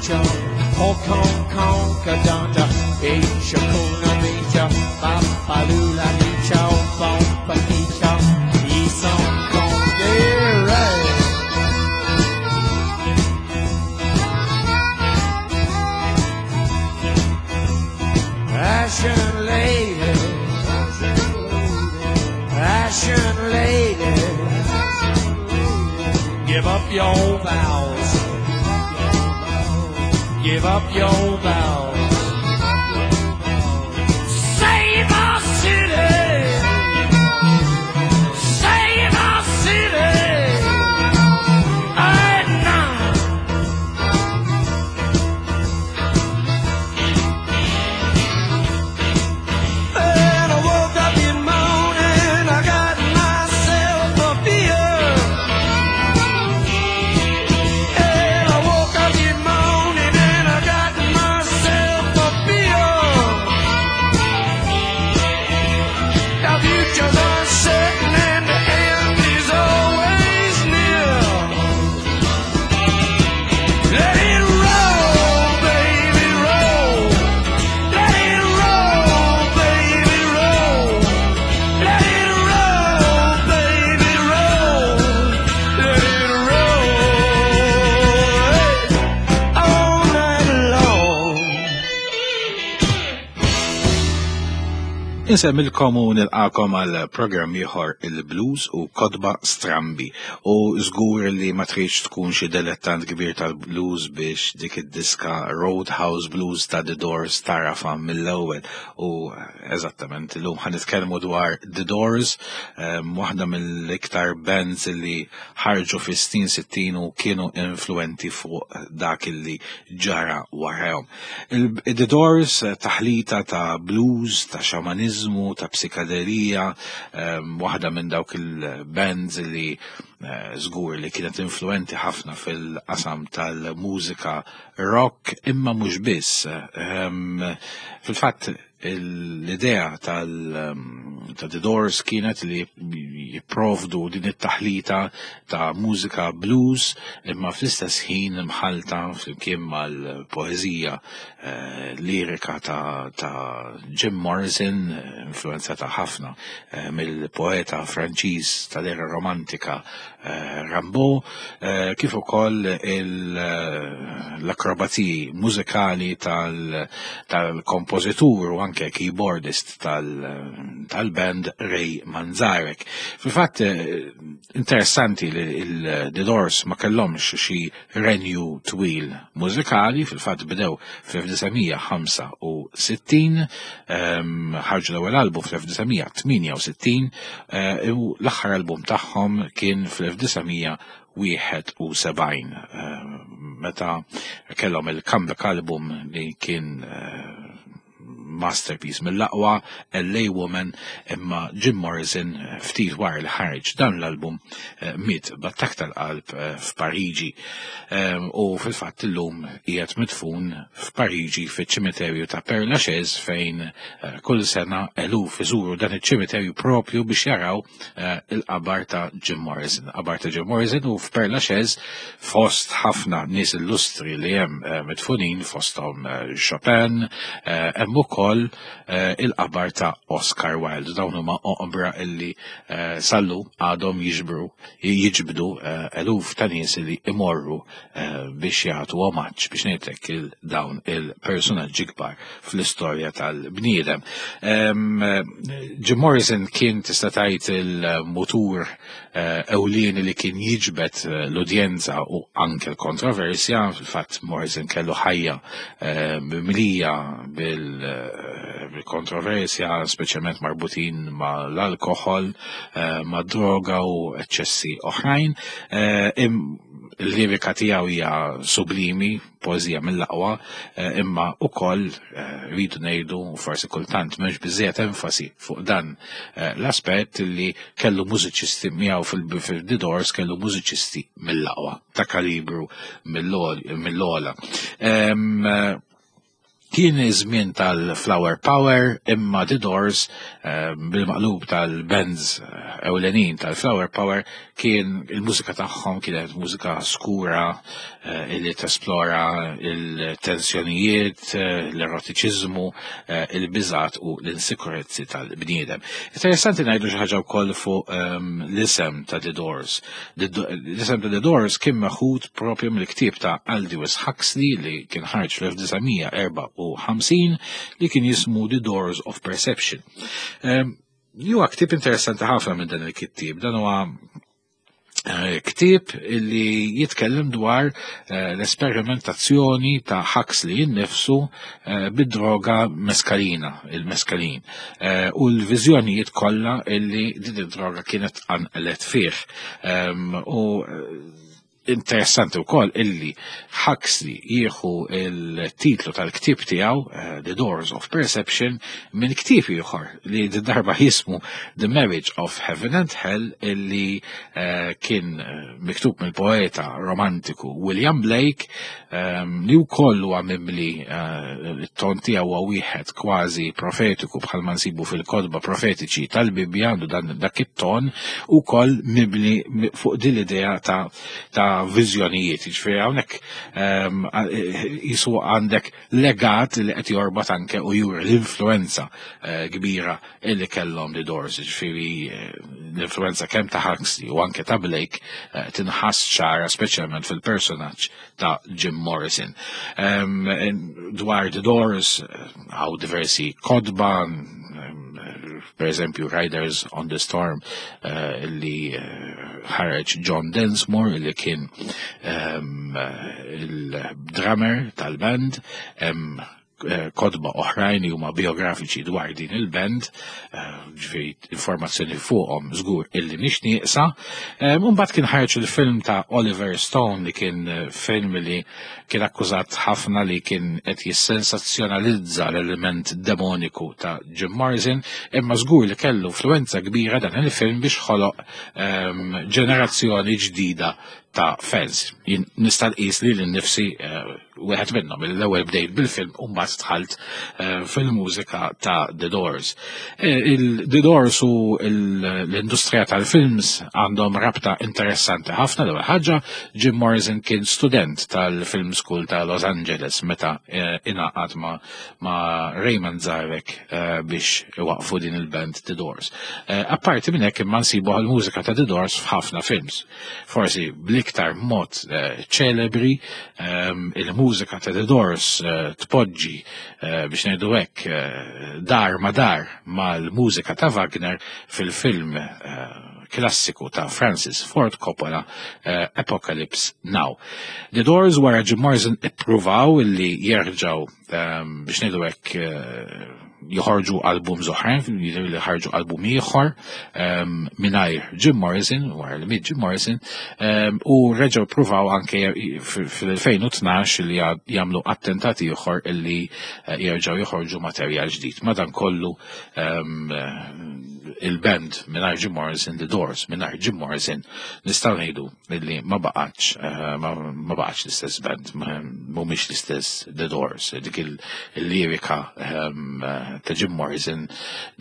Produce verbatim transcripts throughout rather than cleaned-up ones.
Nicho, Hong Kong, Conka, Danta, Ishakuna, Micha, Papalula, Nicho, Bomba, Kicho, Ison, Kongere. Ashen lady, ashen lady, give up your vows, give up your vows. Save our city, save our city, and now. And I woke up in morning, I got myself a beer. And I woke up in morning and I got myself a beer. The future's uncertain and the end is always near. Let it roll, baby, roll. Let it roll, baby, roll. Let it roll, baby, roll. Let it roll all night long. Insemmilkom u nilqakom għal programm ieħor il-blues u kotba strambi u żgur li ma tridx tkun xi dilettant kbir tal-blues biex dik id-diska Roadhouse Blues ta' The Doors tarafa mill-ewwel u eżattament illum ħa nitkellmu dwar The Doors, ehm, waħda mill-iktar bands li ħarġu fis-snin sittin u kienu influenti fuq dak li ġara warahom. Il- The Doors taħlita ta' blues, ta' xamanizmu, ta' psikadelija, ehm, waħda minn dawk il-bands li eh, żgur li kienet influenti ħafna fil-qasam tal-mużika rock, imma mhux biss. Ehm, Fil-fatt l-idea tal ehm, ta' The Doors kienet li jipprovdu din it-taħlita ta' mużika blues imma fl-istess ħin mħalta flimkien mal-poeżija eh, lirika ta', ta' Jim Morrison, influenzata ħafna eh, mill-poeta Franċiż tal-era romantika eh, Rimbaud, eh, kif ukoll il- l-akrobaziji mużikali tal- tal-kompożitur u anke keyboardist tal- tal-band Ray Manzarek. Fil-fatt eh, interessanti li il-The Doors ma kellhomx xi renju twil mużikali, fil-fatt bdew fl-elf disa' mija ħamsa u sittin, ehm, ħarġu l-ewwel album fl-elf disa' mija tmienja u sittin eh, u l-aħħar album tagħhom kien fl-elf disa' mija wieħed u sebgħin eh, meta kellhom il-comeback album li kien eh, masterpiece mill-aqwa, L A Woman, imma Jim Morrison eh, ftit wara li ħareġ dan l-album eh, miet b'attakk tal-qalb eh, f'Pariġi. Ehm, U fil-fatt illum qiegħed midfun f'Pariġi fiċ-ċimiterju ta' Père Lachaise fejn eh, kull sena eluf iżuru dan iċ-ċimiterju propju biex jaraw eh, il-qabar ta' Jim Morrison. Qabar ta' Jim Morrison u f'Père Lachaise fost ħafna nies illustri li hemm eh, midfunin fosthom eh, Chopin, eh, hemm ukoll eh, il-qabar ta' Oscar Wilde. Dawn huma oqbra illi eh, sal-lum għadhom jiġbru jiġbdu eh, eluf ta' nies li imorru eh, biex jagħtu omaġġ biex ngħidlek il dawn il-personaġġi kbar fl-istorja tal-bniedem. Em, eh, Jim Morrison kien tista' tgħid il-mutur eh, ewlieni li kien jiġbed eh, l-udjenza u anke l-kontroversja. Fil-fatt Morrison kellu ħajja eh, mimlija bil- eh, bil-kontroversja, speċjalment marbutin ma' l-alkohol, eh, ma' droga u eċċessi oħrajn. Eh, im- Il-lirika tiegħu hija sublimi, poeżija mill-aqwa, eh, imma ukoll eh, rridu ngħidu forsi kultant m'hemmx biżejjed enfasi fuq dan eh, l-aspett li kellu mużiċisti miegħu fil-The Doors, kellu mużiċisti mill-aqwa ta' kalibru mill-ogħla. Em, eh, Kien iż-żmien tal-Flower Power, imma The Doors, bil-maqlub tal-bands ewlenin tal-Flower Power, kien il-mużika tagħhom kienet mużika skura illi tesplora il-tensjonijiet, l-erotiċiżmu, il-biżat u l-insikurezzi tal-bniedem. Interessanti ngħidu xi ħaġa wkoll fuq l-isem ta' The Doors. L-isem ta' The Doors kien meħud propju mill-ktieb ta' Aldous Huxley li kien ħarġ fl-elf disa' mija erbgħa u ħamsin li kien jismu The Doors of Perception. Huwa ktieb interessanti ħafna minn dan il-kittieb. Dan huwa ktieb li jitkellem dwar l-esperimentazzjoni ta' Huxley innifsu bid-droga meskalina, il-meskalin, u l-viżjonijiet kollha illi din id-droga kienet qanqlet fih. U interessanti wkoll illi Huxley jieħu il-titlu tal-ktieb tiegħu, The Doors of Perception, minn ktieb ieħor li darba jismu The Marriage of Heaven and Hell, illi kien miktub mill-poeta romantiku William Blake, li wkoll huwa mimli, it-ton tiegħu huwa wieħed kważi profetiku bħalma nsibu fil-kotba profetiċi tal-Bibbja, għandu dan dak it-ton ukoll mibni fuq din l-idea ta' ta' viżjonijiet. Jiġifieri hawnhekk jisu għandek legat li qed jorbat anke u juri l-influenza kbira illi kellhom The Doors. Jiġifieri l-influenza kemm ta' Huxley u anke ta' Blake tinħass ċara, speċjalment fil-personaġġ ta' Jim Morrison. Dwar The Doors hawn diversi kotba, per eżempju Riders on the Storm, li ħareġ John Densmore, li kien il-drummer tal-band, kotba oħrajn li huma biografiċi dwar din il-band, ġifieri informazzjoni fuqhom żgur illi mhix nieqsa. Mbagħad kien ħareġ il-film ta' Oliver Stone, li kien film li kien akkużat ħafna li kien qed jissensazzjonalizza l-element demoniku ta' Jim Morrison, imma żgur li kellu influenza kbira dan il-film biex ħoloq ġenerazzjoni ġdida ta' fans. Jien nista' nqis li lil nifsi wieħed minnhom, l-ewwel bdejt bil-film u mbagħad dħalt fil-mużika ta' The Doors. Il-The Doors u l-industrija tal-films għandhom rabta interessanti ħafna. L-ewwel ħaġa, Jim Morrison kien student tal-Film School ta' Los Angeles meta ingħaqad ma', ma' Ray Manzarek biex iwaqfu din il-band The Doors. Apparti minn hekk, imma nsibu l-mużika ta' The Doors f'ħafna films. Forsi bl-iktar mod ċelebri, il-mużika ta' The Doors tpoġġi, biex ngħidu hekk, dar ma dar mal-mużika ta' Wagner fil-film klassiku ta' Francis Ford Coppola, Apocalypse Now. The Doors wara Jim Morrison ippruvaw illi jerġgħu, biex ngħidu hekk, joħorġu album oħrajn, jidher li ħarġu album ieħor mingħajr Jim Morrison, wara li miet Jim Morrison, u reġgħu pruvaw anke fil-elfejn u tnax li jagħmlu attentat ieħor illi jerġgħu joħorġu materjal ġdid. Madankollu il-band mingħajr Jim Morrison, The Doors mingħajr Jim Morrison, nistgħu ngħidu illi ma baqgħetx ma baqgħetx l-istess band, mhumiex l-istess The Doors. Dik il-lirika ta' Jim Morrison,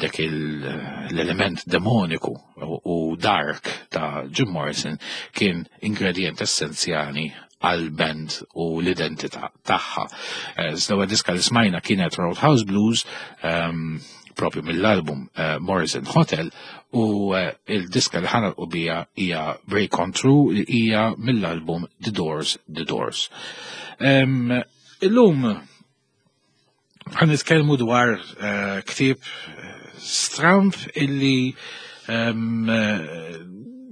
dak l-element demoniku u dark ta' Jim Morrison kien ingredient essenzjali għal-band u l-identità tagħha. L-ewwel diska li smajna kienet Roadhouse Blues, propju mill-album Morrison Hotel, u il-diska li ħa nagħlqu biha hija Break On Through, li hija mill-album The Doors, The Doors. Illum ħa nitkellmu dwar ktieb stramp illi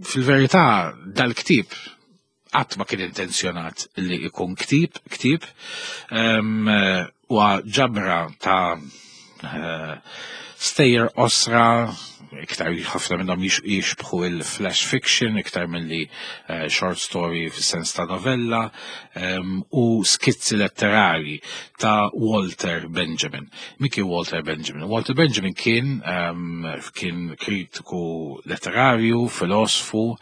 fil-verità dal-ktieb qatt ma kien intenzjonat li ikun ktieb, ktieb, huwa ġabra ta' stejjer qosra, iktar ħafna minnhom jixbħu il-flash fiction, iktar milli short story fis-sens ta' novella, u skizzi letterari ta' Walter Benjamin. Min kien Walter Benjamin? Walter Benjamin kien kien kritiku letterarju, filosfu,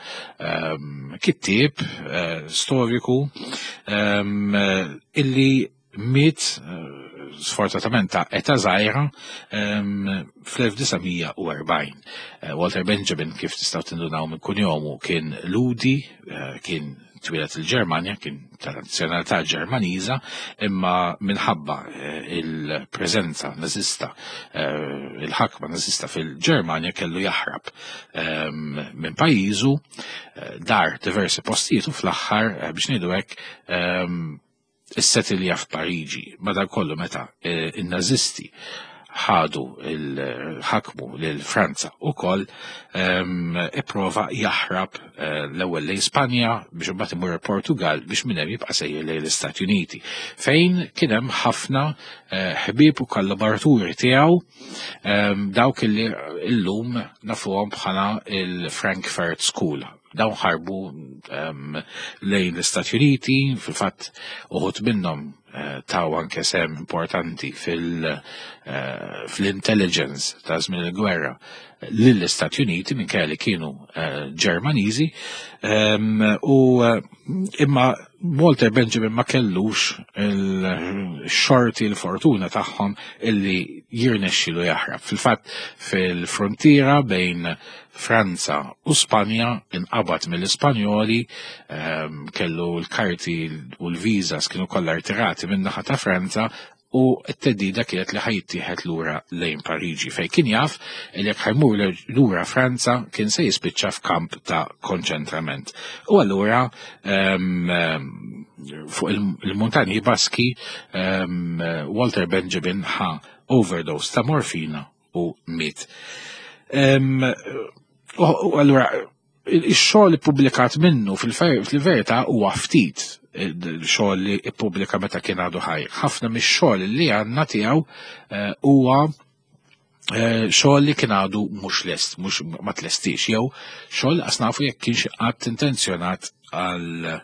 kittieb, storiku, illi Miet sfortunatament ta' età żgħira fl-elf disa' mija u erbgħin. Walter Benjamin, kif tistgħu tindunaw minn kunjomu, kien Ludi, kien twieled il-Ġermanja, kien ta' nazzjonalità Ġermaniża, imma minħabba il-preżenza nażista, il-ħakma nażista fil-Ġermanja, kellu jaħrab minn pajjiżu, dar diversi postijiet u fl-aħħar, biex ngħidu hekk, issetilja f'Pariġi. Madankollu meta in-nażisti ħadu il-ħakmu lil Franza ukoll, ipprova jaħrab l-ewwel lejn Spanja biex imbagħad imur il-Portugal biex minn hemm jibqa' sejjer lejn l-Istati Uniti, fejn kien hemm ħafna ħbieb u kollaboraturi tiegħu, dawk li llum nafuhom bħala il-Frankfurt School. Dawn ħarbu lejn l-Istati Uniti, fil-fatt uħud minnhom taw anke sem importanti fil-intelligence ta' żmien il-gwerra lill-Istati Uniti minkejja li kienu Ġermaniżi, u imma Walter Benjamin ma kellux il-xorti, il-fortuna tagħhom illi jirnexxilu jaħrab. Fil-fatt fil-frontiera bejn Franza u Spanja inqabad mill-Ispanjoli, kellu l-karti u l-visas kienu kollha rtirati min-naħa ta' Franza, u t-teddida kienet li ħajtieħed lura lejn Pariġi, fejn kien jaf li jekk ħajmur lura Franza kien se jispiċċa f'kamp ta' konċentrament. U allura fuq il-muntanji Baski Walter Benjamin ħa overdose ta' morfina u miet. U allura ix-xogħol ippubblikat minnu fil-verità huwa ftit il-xogħol li ippubblika meta kien għadu ħaj. Ħafna mix-xogħol li għandna tiegħu huwa xogħol li kien għadu mhux lest, mhux ma tlestix, jew xogħol qas nafu jekk kienx qatt intenzjonat għal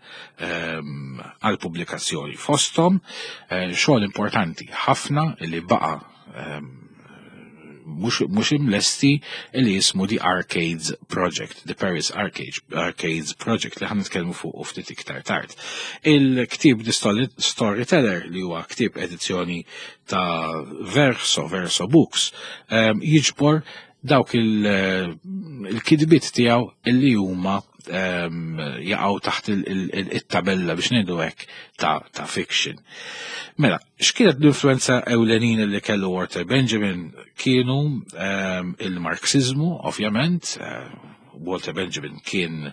pubblikazzjoni. Fosthom xogħol importanti ħafna li baqa' mhux imlesti li jismu The Arcades Project, The Paris Arcades Project, li ħan nitkellmu fuq ftit iktar tard. Il-ktieb The Storyteller, li huwa ktieb edizzjoni ta' Verso, Verso Books, jiġbor dawk il-kidbiet tiegħu illi huma jaqgħu taħt it-tabella biex ngħidu hekk ta' fiction. Mela, x'kienet l-influenza ewlenin li kellu Walter Benjamin? Kienu il-Marxizmu, ovvjament. Walter Benjamin kien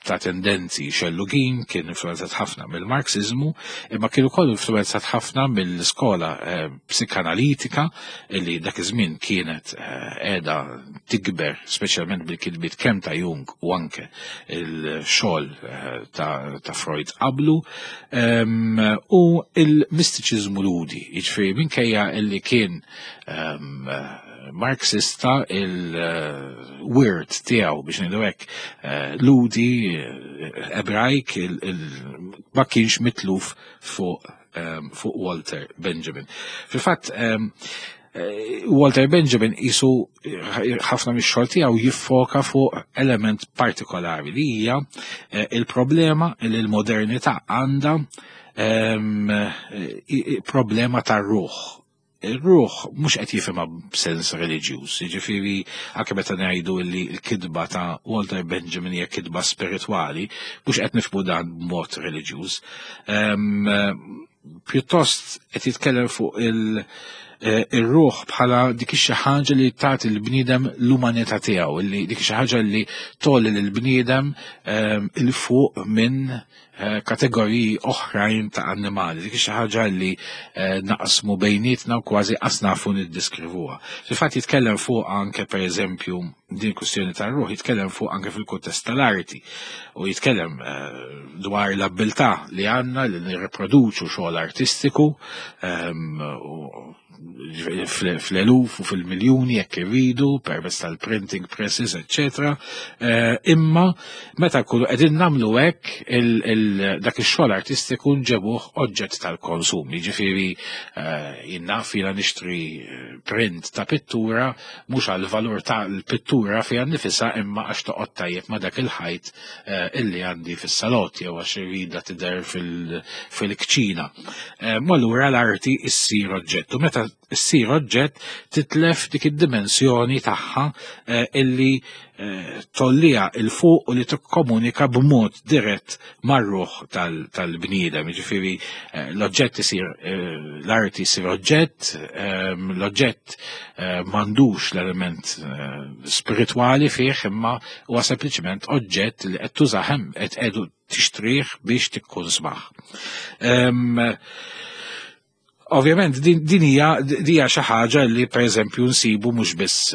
ta' tendenzi xellugin, kien influenzat ħafna mill-Marxizmu, imma kien ukoll influenzat ħafna mill-iskola psikanalitika li dak iż-żmien kienet qiegħda tikber, speċjalment bil-kitbiet kemm ta' Jung u anke il-xogħol ta' Freud qablu, u il-mistiċiżmu ludi, jiġifieri minkejja illi kien Marxista, il-wirt tiegħu biex ngħidu hekk ludi Ebrajk ma kienx mitluf fuq fuq Walter Benjamin. Fil-fatt Walter Benjamin isu ħafna mix-xogħol tiegħu jiffoka fuq element partikolari li hija il-problema li l-modernità għandha problema tar-ruħ. Il-ruħ mhux qed jifhimha b'sens reliġjuż, jiġifieri anke meta ngħidu li l-kitba ta' Walter Benjamin hija kitba spiritwali, mhux qed nifhmu dan b'mod reliġjuż. Pjuttost qed jitkellem fuq il-ruħ bħala dik xi ħaġa li tagħti l-bniedem l-umanità tiegħu, li dik xi ħaġa li tolli lill-bniedem il fuq minn kategoriji oħrajn ta' annimali, dik xi ħaġa li naqsmu bejnietna u kważi qas nafu niddiskrivuha. Fil-fatt jitkellem fuq anke pereżempju din kwistjoni tar-ruħ, jitkellem fuq anke fil-kuntest tal-arti u jitkellem dwar l-abbiltà li għandna li nirriproduċu xogħol artistiku u fl-eluf u fil-miljuni jekk irridu permezz tal-printing presses, eccetera. Imma meta kullu qegħdin nagħmlu hekk, dak ix-xogħol artistiku nġebuh oġġett tal-konsum. Jiġifieri jien naf jiena nixtri print ta' pittura mhux għal valur tal-pittura fiha nnifisha, imma għax toqgħod tajjeb ma' dak il-ħajt illi għandi fis-salott jew għax irridha tidher fil-kċina. Allura l-arti issir oġġett. U meta issir oġġett titlef dik id-dimensjoni tagħha illi tollija 'il fuq u li tikkomunika b'mod dirett mar-ruħ tal-bniedem. Jiġifieri l-oġġett isir, l-arti jsir oġġett, l-oġġett m'għandux l-element spiritwali fih, imma huwa sempliċement oġġett li qed tużah, qed qegħdu tixtrih biex tikkunsmah. Ovvjament din hija hija xi ħaġa li pereżempju nsibu mhux biss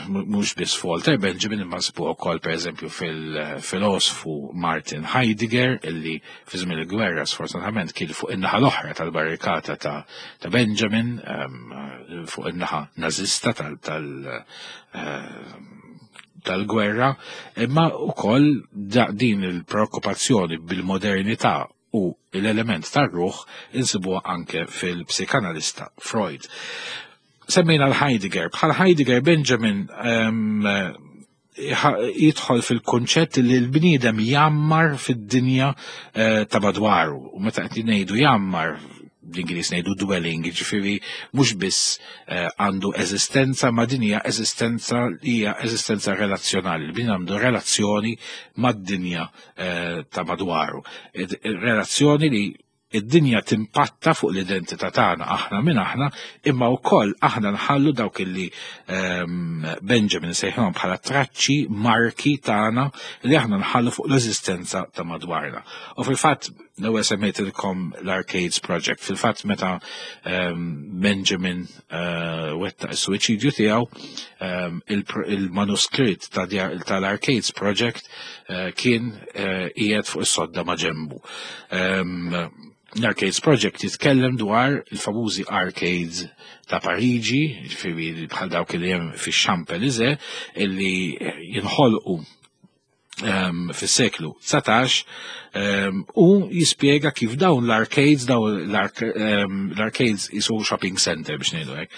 mhux biss f'Walter Benjamin, imma nsibu wkoll pereżempju fil-filosfu Martin Heidegger, illi fi żmien il-gwerra sfortunatament kien fuq in-naħa l-oħra tal-barrikata ta' Benjamin, fuq in-naħa nażista tal tal-gwerra, imma wkoll din il-preokkupazzjoni bil-modernità u l-element tar-ruħ insibuha anke fil-psikanalista Freud. Semmejna l-Heidegger. Bħal Heidegger, Benjamin jidħol fil-konċett li l-bniedem jammar fid-dinja ta' madwaru. U meta qed ngħidu jammar, bl-Ingliż ngħidu dwelling, jiġifieri mhux biss għandu eżistenza, ma din hija eżistenza hija eżistenza relazzjonali. Il-bniedem għandu relazzjoni mad-dinja ta' madwaru. Relazzjoni li id-dinja timpatta fuq l-identità tagħna, aħna minn aħna, imma wkoll aħna nħallu dawk illi Benjamin sejħilhom bħala traċċi, marki tagħna li aħna nħallu fuq l-eżistenza ta' madwarna. U fil-fatt l-ewwel semmejtilkom l-Arcades Project. Fil-fatt meta Benjamin wettaq is-suwiċidju tiegħu, il-manuskritt tal-Arcades Project kien qiegħed fuq is-sodda ma' ġenbu. L-Arcades Project jitkellem dwar il-famużi arcades ta' Pariġi, ġifieri bħal dawk li hemm fix-Champs-Élysées, illi jinħolqu fis-seklu dsatax, u jispjega kif dawn l-arcades, dawn l-arcades jisu shopping center biex ngħidu hekk,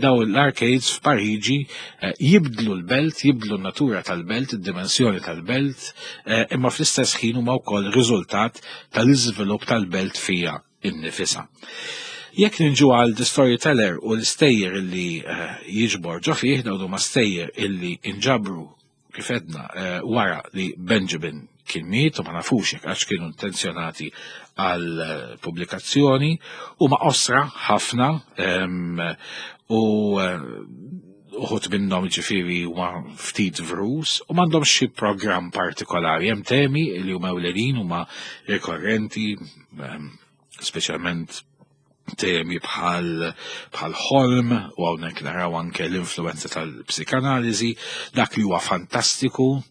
dawn l-arcades f'Pariġi jibdlu l-belt, jibdlu n-natura tal-belt, id-dimensjoni tal-belt, imma fl-istess ħin huma wkoll riżultat tal-iżvilupp tal-belt fija innifisha. Jekk ninġu għal The Storyteller u l-istejjer illi jiġbor ġo fih, dawn huma stejjer illi inġabru kif edna wara li Benjamin kien miet u ma nafux jekk għax kienu intenzjonati għal pubblikazzjoni, u ma qosra ħafna, u uħut minnhom ġifieri huma ftit vrus u m'għandhomx xi programm partikolari. Hemm temi li huma ewlenin, huma rikorrenti, speċjalment temi bħal bħal ħolm, u hawnhekk naraw anke l-influenza tal-psikanaliżi, dak li huwa fantastiku,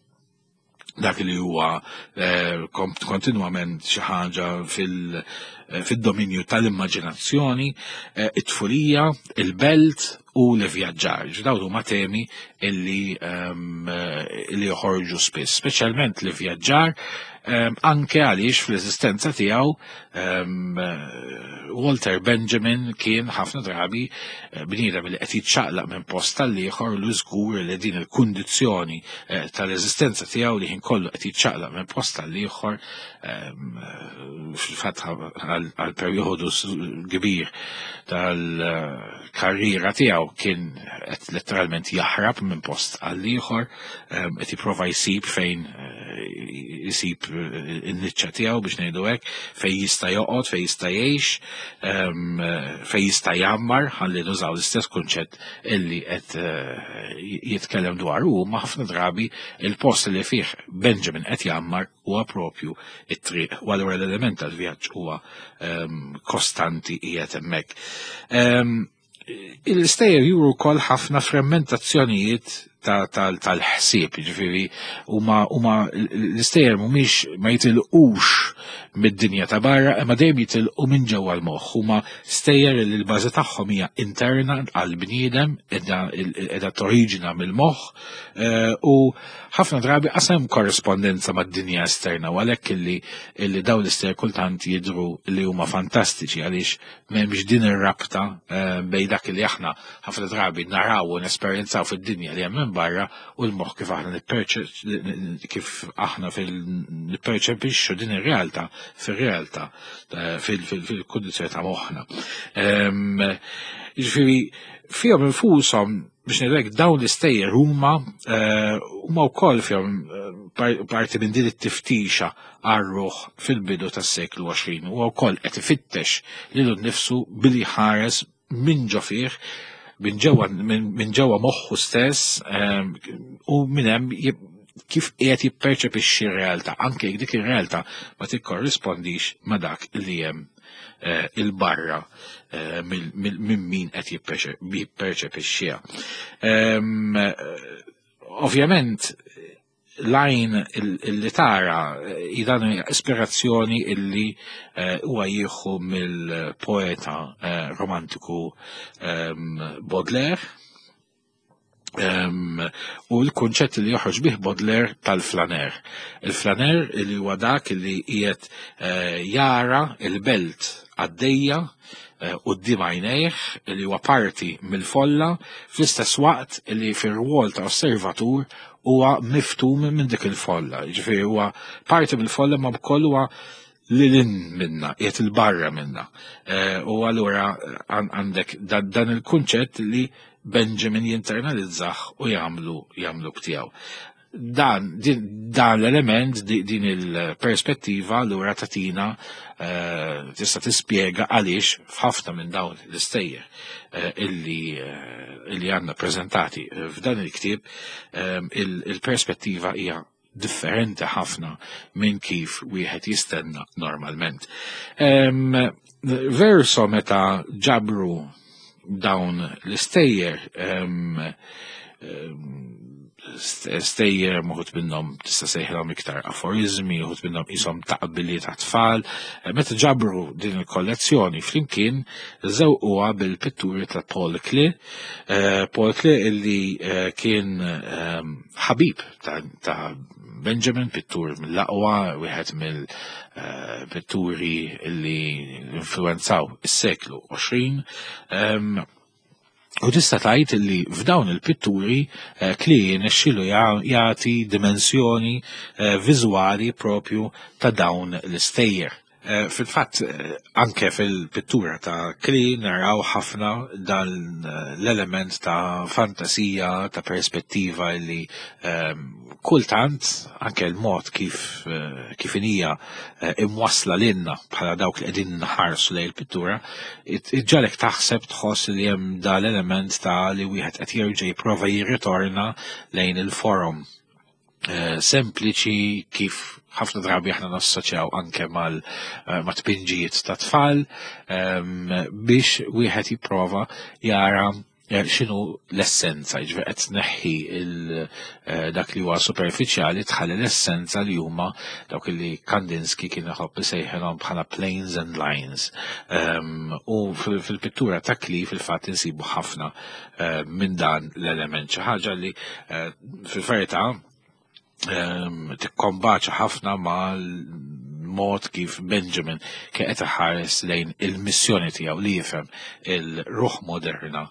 dak li huwa kontinwament xi ħaġa fil-dominju tal-immaġinazzjoni, it-tfulija, il-belt u l-vjaġġar. Dawn huma temi illi illi joħorġu spiss, speċjalment l-vjaġġar, anke għaliex fl-eżistenza tiegħu Walter Benjamin kien ħafna drabi bniedem li qed jiċċaqlaq minn post tal-ieħor, u żgur li din il-kundizzjoni tal-eżistenza tiegħu li ħin kollu qed jiċċaqlaq minn post tal-ieħor, fil-fatt għal perjodu kbir tal-karriera tiegħu kien qed letteralment jaħrab minn post għall-ieħor, qed jipprova jsib fejn jsib in-niċċa tiegħu biex ngħidu hekk, fejn jista' joqgħod, fejn jista' jgħix, fejn jista' jgħammar, ħalli nużaw l-istess kunċett illi qed jitkellem dwar hu, ma ħafna drabi il-post li fih Benjamin qed jgħammar huwa propju it-triq, u allura l-element tal-vjaġġ huwa kostanti qiegħed hemmhekk. Il-stejjer juru wkoll ħafna frammentazzjonijiet tal-ħsieb, jiġifieri huma l-istejjer mhumiex ma jitilqux mid-dinja ta' barra, imma dejjem jitilqu minn ġewwa l-moħħ. Huma stejjer li l-bażi tagħhom hija interna għall-bniedem, qiegħda toriġina mill-moħħ, u ħafna drabi qasem korrispondenza mad-dinja esterna, u għalhekk illi dawn l-istejjer kultant jidhru li huma fantastiċi għaliex m'hemmx din ir-rabta bejn dak li aħna ħafna drabi naraw u nesperjenzaw fid-dinja li hemm minn barra u l-moħħ kif aħna kif aħna nipperċepixxu din ir-realtà fir-realtà fil-kundizzjoni ta' moħħna. Jiġifieri fihom infushom biex ngħidlek dawn l-istejjer huma huma wkoll fihom parti minn din it-tiftixa għar-ruħ fil-bidu tas-seklu għoxrin, huwa wkoll qed ifittex lilu nnifsu billi ħares minn ġo fih, minn ġewwa minn ġewwa moħħu stess, u minn hemm kif qiegħed jipperċepixxi r-realtà, anke jekk dik ir-realtà ma tikkorrispondix ma' dak li hemm il-barra minn min qed jipperċepixxiha. Ovvjament l-għajn illi tara dan ispirazzjoni illi huwa jieħu mill-poeta romantiku Baudelaire, u l-kunċett li joħroġ bih Baudelaire tal-flaner. Il-flaner li huwa dak li qiegħed jara il-belt għaddejja quddiem għajnejh, li huwa parti mill-folla, fl-istess waqt li fir-rwol ta' osservatur huwa miftum minn dik il-folla. Jiġifieri huwa parti mill-folla ma wkoll huwa lilin minna, qiegħed il-barra minna. U allura għandek dan il-kunċett li Benjamin jinternalizzah u jagħmlu jagħmlu btiegħu. Dan, dan l-element, din il-perspettiva allura tatina tista' tispjega għaliex f'ħafna minn dawn l-istejjer illi illi għandna preżentati f'dan il-ktieb il-perspettiva hija differenti ħafna minn kif wieħed jistenna normalment. Verso meta ġabru dawn l-istejjer, stejjer uħud minnhom tista' sejħilhom iktar aforizmi, uħud minnhom qishom taqbiliet ta' tfal. Meta ġabru din il-kollezzjoni flimkien żewquha bil-pitturi ta' Paul Klee, Paul Klee illi kien ħabib ta' Benjamin, pittur mill-aqwa, wieħed mill-pitturi illi influenzaw is-seklu għoxrin. U tista' tgħid li f'dawn il-pitturi Klee nexxielu jagħti dimensjoni viżwali propju ta' dawn l-istejjer. Fil-fatt, anke fil-pittura ta' Klee naraw ħafna dan l-element ta' fantasija, ta' perspettiva li kultant anke l-mod kif kif hija imwassla lilna bħala dawk li qegħdin nħarsu lejn il-pittura, iġġalek taħseb tħoss li hemm dan l-element ta' li wieħed qed jerġa' jipprova jirritorna lejn il-forum sempliċi kif ħafna drabi aħna nassoċjaw anke mal ma' tpinġijiet ta' tfal, biex wieħed jipprova jara x'inhu l-essenza, jiġifieri qed tneħħi dak li huwa superfiċjali, tħalli l-essenza li huma dawk li Kandinsky kien iħobb isejħilhom bħala planes and lines. U fil-pittura ta' Klee fil-fatt insibu ħafna minn dan l-element, xi ħaġa li fil-verità tikkombaċa ħafna mal-mod kif Benjamin kien qed iħares lejn il-missjoni tiegħu li jifhem il-ruħ moderna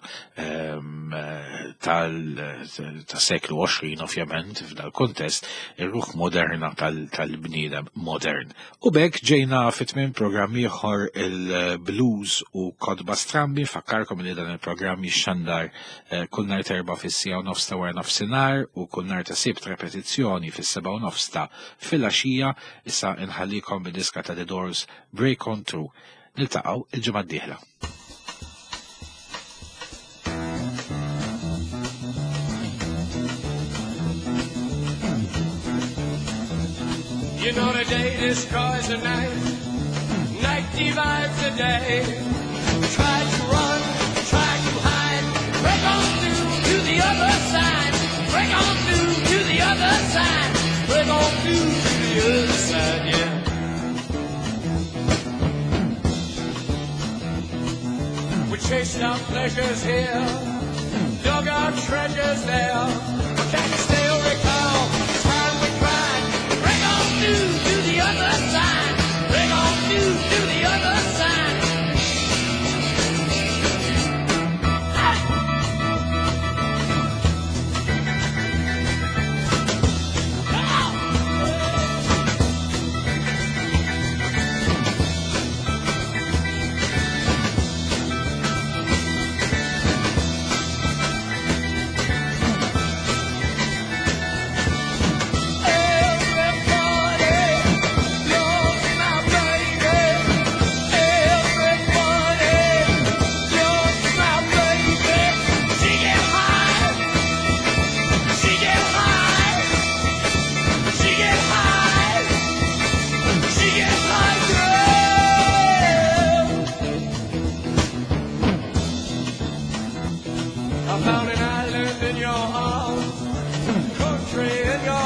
tas-seklu għoxrin, ovvjament f'dal-kuntest ir-ruħ moderna tal-bniedem modern. U b'hekk ġejna fi tmiem programm ieħor il-Blues u Kotba Strambi. Fakkarkom li dan il-programm jixxandar kull nhar terba' fis-siegħa u nofs ta' wara nofsinhar u kull nhar ta' Sibt repetizzjoni fis-sebgħa u nofs ta' filgħaxija. Issa inħallikom bid-diska ta' The Doors, Break On Through. Niltaqgħu il-ġimgħa d-dieħla. You know the day destroys the night, night divides the day. Try to run, try to hide, break on through to the other side, break Chased our pleasures here, dug our treasures there. But can you still recall the time we cried? Break on through to the other side. Break on through to the other side. Everybody loves my baby. Everybody loves my baby. She get high. She get high. She get high. She get high, girl. I found an island in your arms, country in your